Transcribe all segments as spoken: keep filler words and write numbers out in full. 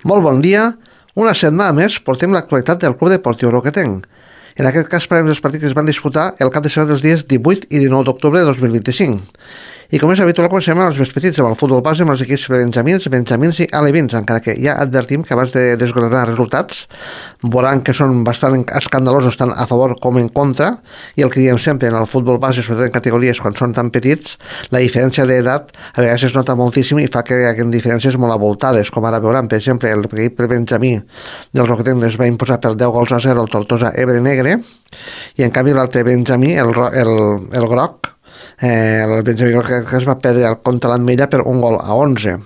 Molt bon dia. Una setmana més portem l'actualitat del Club Deportiu Roquetenc. En aquest cas parlem dels partits que es van disputar el cap de setmana dels dies divuit i dinou d'octubre de dos mil vint-i-cinc. I com és habitual, comencem amb els més petits, amb el futbol base, amb els equips benjamins, benjamins i alevins, encara que ja advertim que abans de desgranar resultats veuran que són bastant escandalosos tant a favor com en contra, i el que diem sempre en el futbol base, sobretot en categories quan són tan petits, la diferència d'edat a vegades es nota moltíssim i fa que hi hagi diferències molt avoltades, com ara veuran, per exemple, el equip benjamí del Roquetenc es va imposar per deu gols a zero al Tortosa Ebre Negre, i en canvi l'altre benjamí, el, el, el groc, Eh, el Benjamí que es va perdre contra l'Ametlla per un gol a onze.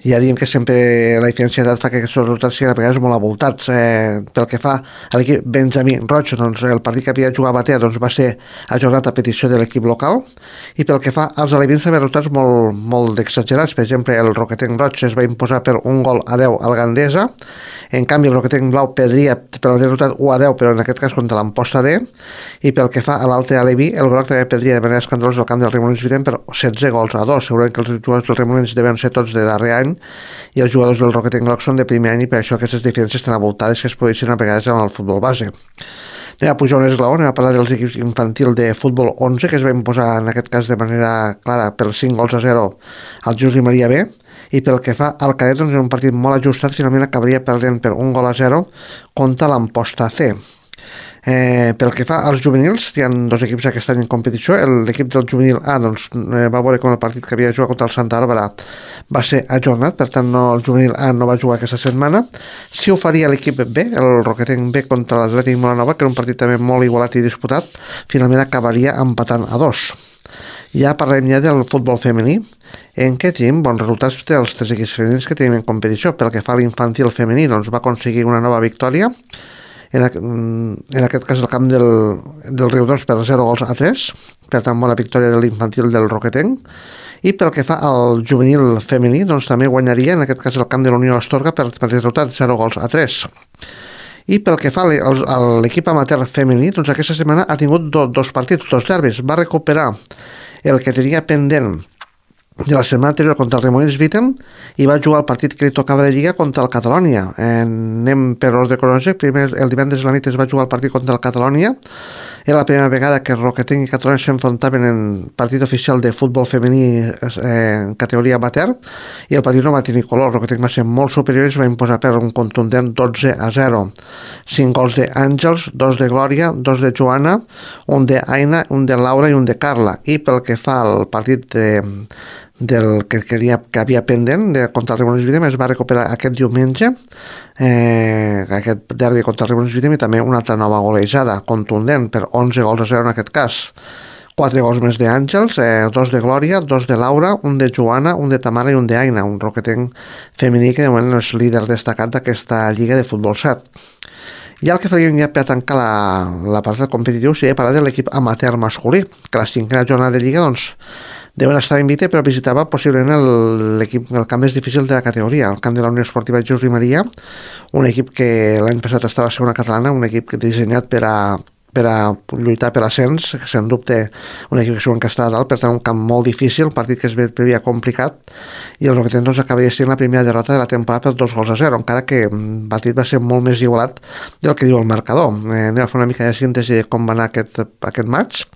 Ja diem que sempre la diferència d'edat fa que aquests resultats siguin a vegades molt avoltats. Eh, pel que fa a l'equip Benjamí Roig, doncs el partit que havia jugat a Batea doncs va ser ajornat a petició de l'equip local, i pel que fa als alevins també resultats molt, molt exagerats. Per exemple, el Roquetenc Roig es va imposar per un gol a deu al Gandesa. En canvi, el Roquetenc Blau perdria per el resultat u a deu, però en aquest cas contra l'Amposta D. I pel que fa a l'altre aleví, el Groc també perdria de manera escandalosa el camp del Remolins Vitem per setze gols a dos. Segurament que els jugadors del Remolins deven ser tots de darrer any i els jugadors del Roquetenc Groc són de primer any, i per això aquestes diferències tan avoltades que es produeixen a vegades en el futbol base. Anem a pujar un esglaó, anem a parlar dels equips infantil de futbol onze, que es va imposar en aquest cas de manera clara per cinc gols a zero al Josep Maria B. I pel que fa al cadet, doncs, un partit molt ajustat, finalment acabaria perdent per un gol a zero contra l'Amposta C. Eh, pel que fa als juvenils, hi ha dos equips aquest any en competició. L'equip del juvenil A doncs, eh, va veure com el partit que havia jugat contra el Santa Bàrbara va ser ajornat, per tant no, el juvenil A no va jugar aquesta setmana. Sí ho faria l'equip B, el Roquetenc B contra l'Atlètic Molanova, que era un partit també molt igualat i disputat, finalment acabaria empatant a dos. Ja parlem ja del futbol femení, en què tenim bons resultats dels tres equips femenins que tenim en competició. Pel que fa a l'infantil femení, doncs va aconseguir una nova victòria, en, a, en aquest cas el camp del, del Riudoms per zero gols a tres, per tant bona victòria de l'infantil del Roquetenc. I pel que fa al juvenil femení, doncs també guanyaria, en aquest cas el camp de la Unió Astorga per, per resultat zero gols a tres. I pel que fa a l'equip amateur femení, doncs aquesta setmana ha tingut do, dos partits, dos derbis. Va recuperar el que tenia pendent de la setmana anterior contra el Remolins Vitem i va jugar el partit que li tocava de Lliga contra el Catalònia. Eh, anem per ordre cronològic. Primer, el divendres a la nit es va jugar el partit contra el Catalònia. Era la primera vegada que Roquetenc i Catalònia s'enfrontaven en partit oficial de futbol femení eh, en categoria amateur, i el partit no va tenir color. Roquetenc va ser molt superior i es va imposar per un contundent dotze a zero. cinc gols d'Àngels, dos de Glòria, dos de Joana, un d'Aina, un de Laura i un de Carla. I pel que fa al partit de del que, que, havia, que havia pendent de, contra el Remolins Vitem, es va recuperar aquest diumenge, eh, aquest derbi contra el Remolins Vitem, i també una altra nova golejada contundent per onze gols a zero en aquest cas. Quatre gols més d'Àngels, eh, dos de Glòria, dos de Laura, un de Joana, un de Tamara i un d'Aina, un Roquetenc femení que de moment és líder destacat d'aquesta lliga de futbol set. I el que faríem ja per tancar l'apartat competitiu seria parlar de l'equip amateur masculí, que la cinquena jornada de lliga doncs deuen estar en Vite, però visitava possiblement l'equip, el camp més difícil de la categoria, el camp de la Unió Esportiva Josep Maria, un equip que l'any passat estava a segona catalana, un equip dissenyat per a per a lluitar per l'ascens, que sens dubte un equip que segon que està a dalt, per tant un camp molt difícil, un partit que es previa complicat, i el Roquetenc doncs acabaria sent la primera derrota de la temporada per dos gols a zero, encara que el partit va ser molt més igualat del que diu el marcador. Eh, anem a fer una mica de síntesi de com va anar aquest, aquest match.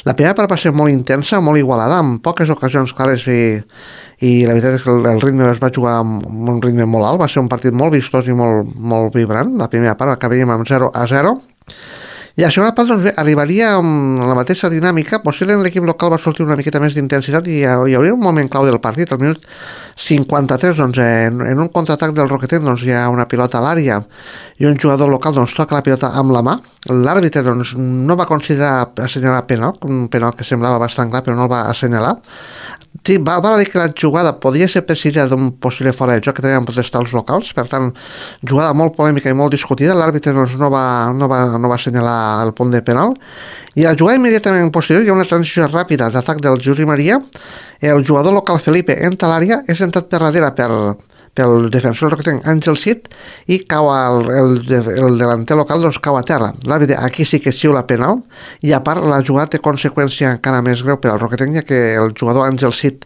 La primera part va ser molt intensa, molt igualada, amb poques ocasions clares, i i la veritat és que el ritme es va jugar amb un ritme molt alt, va ser un partit molt vistós i molt, molt vibrant. La primera part acabaríem amb zero a zero, i a la segona part doncs, bé, arribaria amb la mateixa dinàmica. Possiblement l'equip local va sortir una miqueta més d'intensitat i hi hauria un moment clau del partit. Al minut cinquanta-tres, doncs, en, en un contraatac del Roquetenc, doncs, hi ha una pilota a l'àrea i un jugador local doncs, toca la pilota amb la mà. L'àrbitre doncs, no va considerar assenyalar penal, un penal que semblava bastant clar, però no el va assenyalar. Sí, va, va dir que la jugada podria ser presidida d'un possible fora de joc, que també van protestar els locals, per tant, jugada molt polèmica i molt discutida. L'àrbitre doncs, no, va, no, va, no va assenyalar el punt de penal, i a la jugada immediatament posterior hi ha una transició ràpida d'atac del Josep Maria. El jugador local Felipe entra a l'àrea, és entrat per darrere per, pel defensor del Roquetenc, Àngel Cid, i cau el, el, el delanter local doncs cau a terra. L'àrbitre aquí sí que xiula penal, i a part la jugada té conseqüència encara més greu per al Roquetenc, ja que el jugador Àngel Cid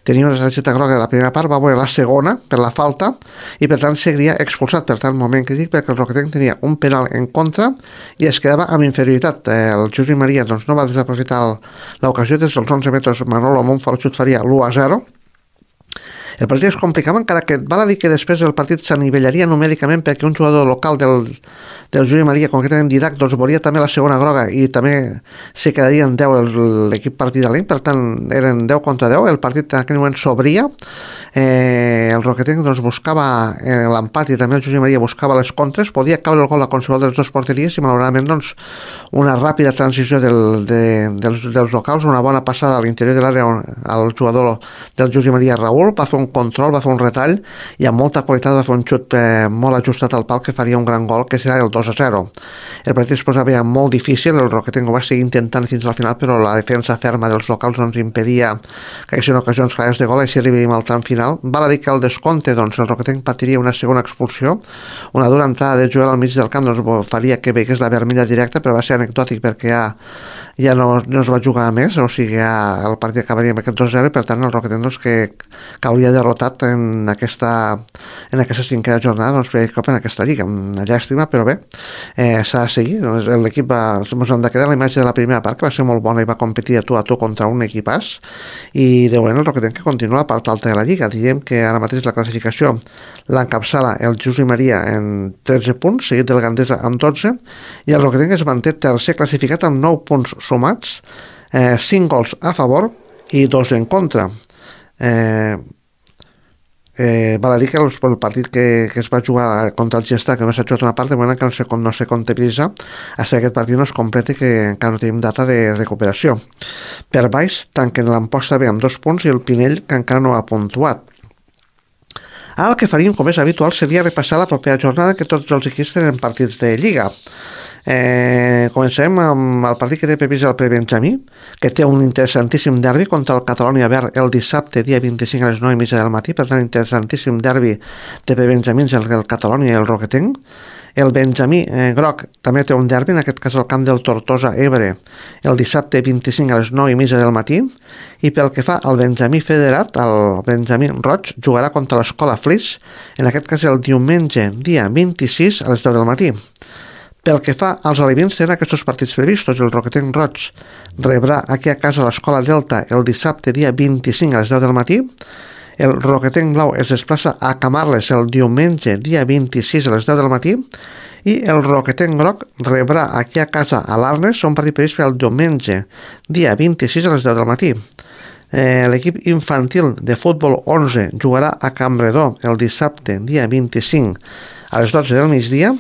tenia una targeta groga de la primera part, va veure la segona per la falta i per tant seguiria expulsat. Per tant, moment crític perquè el Roquetenc tenia un penal en contra i es quedava amb inferioritat. El Josep Maria doncs, no va desaprofitar l'ocasió, des dels onze metres Manolo Montfort faria l'u a zero. El partit es complicava, encara que val a dir que després el partit s'anivellaria numèricament perquè un jugador local del, del Josep Maria, concretament Didac, doncs veuria també la segona groga i també se quedarien deu l'equip partidaleny, per tant eren deu contra deu, el partit en aquell moment s'obria, eh, el Roquetenc doncs, buscava eh, l'empat i també el Josep Maria buscava les contres, podia caure el gol a qualsevol de les dues porteries i malauradament doncs, una ràpida transició del, de, dels, dels locals, una bona passada a l'interior de l'àrea al jugador del Josep Maria Raül, va fer un control, va fer un retall i amb molta qualitat va fer un xut eh, molt ajustat al pal que faria un gran gol, que serà el dos a zero. El partit es posava molt difícil, el Roquetenc ho va seguir intentant fins al final, però la defensa ferma dels locals ens impedia que haguessin ocasions clares de gol i si arribem al tram final. Val a dir que al descompte doncs, el Roquetenc patiria una segona expulsió, una dura entrada de Joel al mig del camp doncs, faria que veigués la vermella directa, però va ser anecdòtic perquè ja ja no, no es va jugar més, o sigui, ja el partit acabaria amb aquest dos a zero, per tant el Roquetenc doncs, que cauria derrotat en aquesta, en aquesta cinquena jornada, doncs per cop en aquesta lliga, una llàstima, però bé, eh, s'ha de seguir. Doncs, l'equip va, ens hem de quedar la imatge de la primera part, que va ser molt bona i va competir a tu a tu contra un equipàs, i de moment el Roquetenc que continua a la part alta de la lliga. Diem que ara mateix la classificació l'encapçala el Josep Maria en tretze punts, seguit del Gandesa amb dotze, i el Roquetenc es manté tercer classificat amb nou punts sumats, eh, cinc gols a favor i dos en contra. Eh, eh, val a dir que el, el partit que, que es va jugar contra el Gesta, que només s'ha jugat una part, de moment que no se, no se comptabilitza fins que aquest partit no es complete, que encara no tenim data de recuperació. Per baix tanquen l'Amposta B amb dos punts i el Pinell, que encara no ha puntuat. Ara el que faríem, com és habitual, seria repassar la propera jornada, que tots els equips tenen partits de Lliga. Eh, comencem amb el partit que té previst el Prebenjamí, que té un interessantíssim derbi contra el Catalònia Verd el dissabte, dia vint-i-cinc a les nou i mitja del matí, per tant interessantíssim derbi de Prebenjamins, el, el Catalònia i el Roquetenc. El Benjamí eh, Groc també té un derbi, en aquest cas al camp del Tortosa Ebre, el dissabte vint-i-cinc a les nou i mitja del matí, i pel que fa al Benjamí Federat, el Benjamí Roig jugarà contra l'Escola Flix, en aquest cas el diumenge, dia vint-i-sis a les deu del matí. Pel que fa als alevins, tenen aquests partits previstos. El Roquetenc Roig rebrà aquí a casa l'Escola Delta el dissabte, dia vint-i-cinc a les deu del matí. El Roquetenc Blau es desplaça a Camarles el diumenge, dia vint-i-sis a les deu del matí. I el Roquetenc Groc rebrà aquí a casa a l'Arnes un partit previst el diumenge, dia vint-i-sis a les deu del matí. Eh, L'equip infantil de futbol onze jugarà a Campredó el dissabte, dia vint-i-cinc a les dotze del migdia.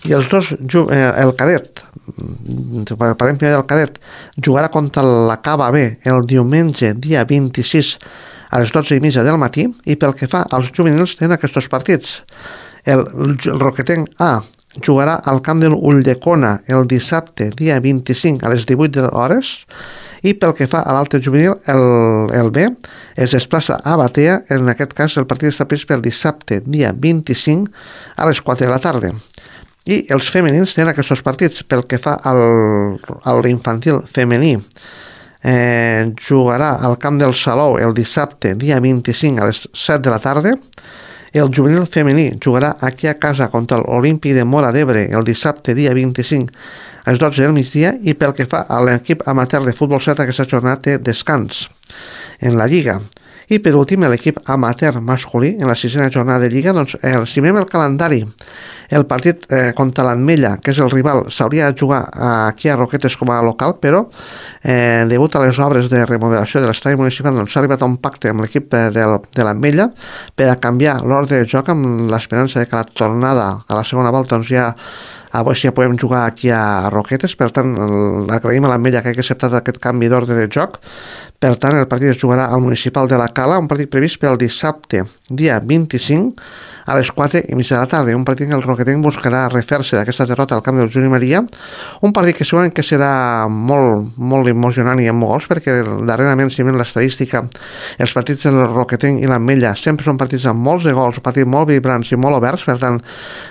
I els dos, eh, el cadet, parlem primer del cadet, jugarà contra la Cava B el diumenge, dia vint-i-sis a les dotze i mitja del matí, i pel que fa als juvenils tenen aquests partits. El, el Roquetenc A jugarà al camp de l'Ulldecona el dissabte, dia vint-i-cinc a les divuit hores, i pel que fa a l'altre juvenil, el, el B es desplaça a Batea, en aquest cas el partit està previst pel dissabte, dia vint-i-cinc a les quatre de la tarda. I els femenins tenen aquests partits. Pel que fa al, a l'infantil femení, eh, jugarà al camp del Salou el dissabte, dia vint-i-cinc a les set de la tarda. El juvenil femení jugarà aquí a casa contra l'Olímpic de Móra d'Ebre el dissabte, dia vint-i-cinc a les dotze del migdia. I pel que fa a l'equip amateur de futbol set, aquesta jornada té descans en la Lliga. I per últim, l'equip amateur masculí en la sisena jornada de Lliga, doncs, el, si mirem el calendari, el partit eh, contra l'Ametlla, que és el rival, s'hauria de jugar aquí a Roquetes com a local, però eh, degut a les obres de remodelació de l'estadi municipal, doncs s'ha arribat a un pacte amb l'equip de, de l'Ametlla per a canviar l'ordre de joc amb l'esperança de que la tornada a la segona volta doncs ja a veure si ja podem jugar aquí a Roquetes. Per tant, agraïm a l'Ametlla que hagi acceptat aquest canvi d'ordre de joc, Per tant, el partit es jugarà al Municipal de la Cala, un partit previst pel dissabte, dia vint-i-cinc, a les quatre i mitja de la tarda. Un partit que el Roquetenc buscarà refer-se d'aquesta derrota al camp del Juni Maria. Un partit que segurament que serà molt, molt emocionant i amb gols, perquè darrerament, si ven l'estadística, els partits del Roquetenc i l'Ametlla sempre són partits amb molts de gols, partits molt vibrants i molt oberts, per tant,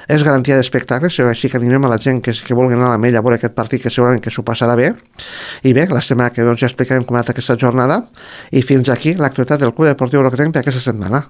és garantia d'espectacles, així que animem a la gent que, que vulgui anar a l'Ametlla a veure aquest partit, que segurament que s'ho passarà bé. I bé, la setmana que doncs, ja explicarem com ha anat aquesta jornada, i fins aquí l'actualitat del Club Deportiu Roquetenc per aquesta setmana.